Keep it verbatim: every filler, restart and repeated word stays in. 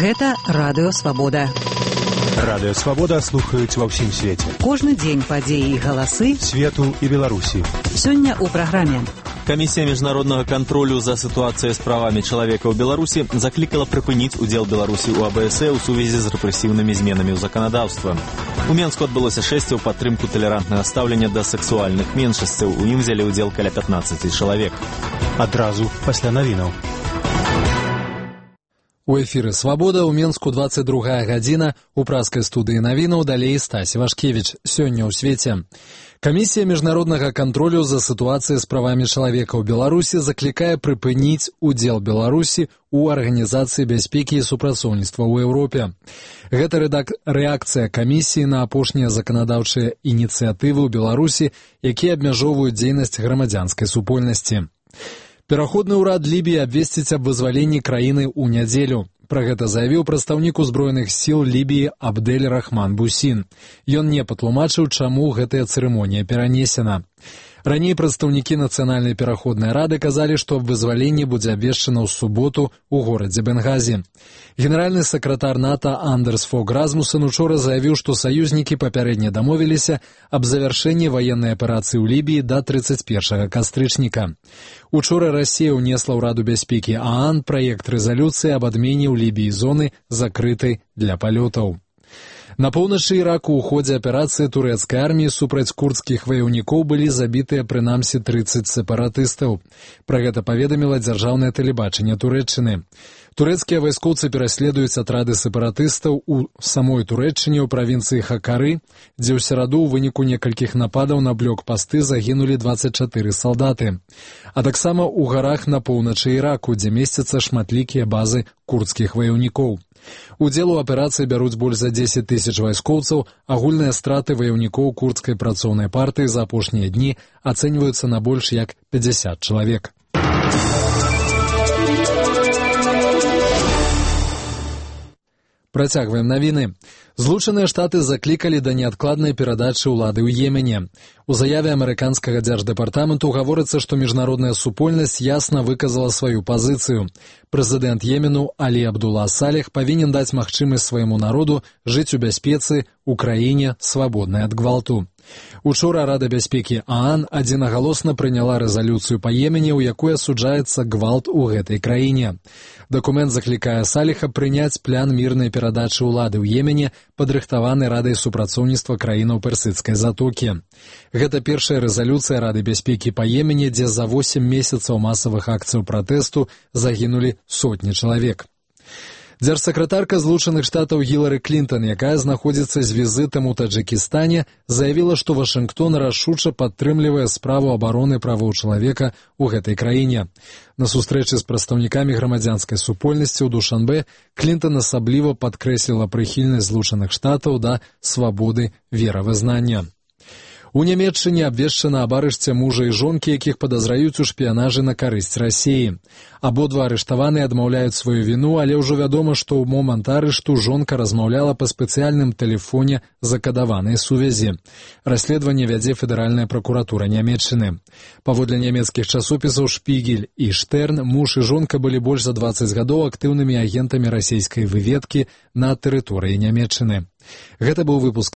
Гэта Радыё Свабода. Радыё Свабода слухаюць ва ўсім свеце. Кожны дзень падзеі і галасы свету і Беларусі. Сёння ў праграме. Камісія міжнароднага кантролю за сітуацыяй з правамі чалавека ў Беларусі заклікала прыпыніць удзел Беларусі ў А Бэ Эс Э ў сувязі з рэпрэсіўнымі зменамі ў заканадаўства. У Менску адбылося шэсце ў падтрымку талерантнага стаўлення да сексуальных меншасцяў. У ім узялі ўдзел каля пятнаццаць чалавек. Адразу пасля навінаў. У эфіры «Свабода» ў Менску дваццаць другая гадзіна, у праскай студыі навінаў далей Стасі Вашкевіч. Сёння ў свеце. Камісія міжнароднага кантролю за сітуацыяй з правамі чалавека ў Беларусі заклікае прыпыніць удзел Беларусі ў Арганізацыі бяспекі і супрацоўніцтва ў Еўропе. Гэта рэакцыя камісіі на апошнія заканадаўчыя ініцыятывы ў Беларусі, якія абмяжоўваюць дзейнасць грамадзянскай супольнасці. Пераходны ўрад Лібіі абвесціць аб вызваленні краіны ў нядзелю. Пра гэта заявіў прадстаўнік узброеных сіл Лібіі Абдель Рахман Бусін. Ён не патлумачыў, чаму гэтая цырымонія перанесена. Раней прадстаўнікі Нацыянальнай пераходнай рады казалі, што аб вызваленні будзе абвешчана ў суботу ў горадзе Бенгазі. Генеральны сакратар НАТО Андерс Фог Расмуссен учора заявіў, што саюзнікі папярэдне дамовіліся аб завяршэнні ваеннай аперацыі ў Лібіі да трыццаць першага кастрычніка. Учора Расія ўнесла ў Раду бяспекі А А Н праект рэзалюцыі аб адмене ў Лібіі зоны, закрытай для палётаў. На поўначы Іраку ў ходзе аперацыі турэцкай арміі супраць курдскіх ваяўнікоў былі забітыя прынамсі трыццаць сепаратыстаў. Пра гэта паведаміла дзяржаўнае тэлебачанне Турэччыны. Турэцкія вайскоўцы пераследуюць атрады сепаратыстаў у самой Турэччыне ў правінцыі Хакары, дзе ў сераду ў выніку некалькіх нападаў на блокпасты загінулі дваццаць чатыры салдаты. А таксама ў гарах на поўначы Іраку, дзе месцяцца шматлікія базы курдскіх ваяўнікоў. Удзел у аперацыі бяруць больш за дзесяць тысяч вайскоўцаў, агульныя страты ваяўнікоў курдскай працоўнай партыі за апошнія дні ацэньваюцца на больш як пяцьдзясят чалавек. Працягваем навіны. Злучаныя Штаты заклікалі да неадкладнай перадачы ўлады ў Йемене. У заяве амерыканскага дзярждэпартаменту гаворыцца, што міжнародная супольнасць ясна выказала сваю пазіцыю. Прэзідэнт Йемену Алі Абдулла Салех павінен даць магчымасць свайму народу жыць у бяспецы ў краіне, свабоднай ад гвалту. Учора Рада бяспекі А А Н адзінагалосна прыняла рэзалюцыю па Йемене, у якой асуджаецца гвалт у гэтай краіне. Дакумент заклікае Салеха прыняць план мірнай перадачы ўлады ў Йемене, падрыхтаваны Радай супрацоўніцтва краінаў Персідскай затокі. Гэта першая рэзалюцыя Рады бяспекі па Йемене, дзе за восем месяцаў масавых акцыяў пратэсту загінулі сотні чалавек. Дзяржсакратарка Злучаных Штатаў Гілары Клінтон, якая знаходзіцца з візітам у Таджыкістане, заявіла, што Вашынгтон рашуча падтрымлівае справу абароны правоў чалавека ў гэтай краіне. На сустрэчы з прадстаўнікамі грамадзянскай супольнасці ў Душанбе Клінтон асабліва падкрэсліла прыхільнасць Злучаных Штатаў да свабоды веравызнання. У Нямецчыне абвешчана аб арышце мужа і жонкі, якіх падазраюць у шпіянажы на карысць Расіі. Абодва арыштаваныя адмаўляюць сваю віну, але ўжо вядома, што ў момант арышту жонка размаўляла па спецыяльным тэлефоне закадаванай сувязі. Расследаванне вядзе федэральная пракуратура Нямецчыны. Паводле нямецкіх часопісаў «Шпігель» і «Штерн», муж і жонка былі больш за дваццаць гадоў актыўнымі агентамі расійскай выведкі на тэрыторыі Нямецчыны. Гэта быў выпуск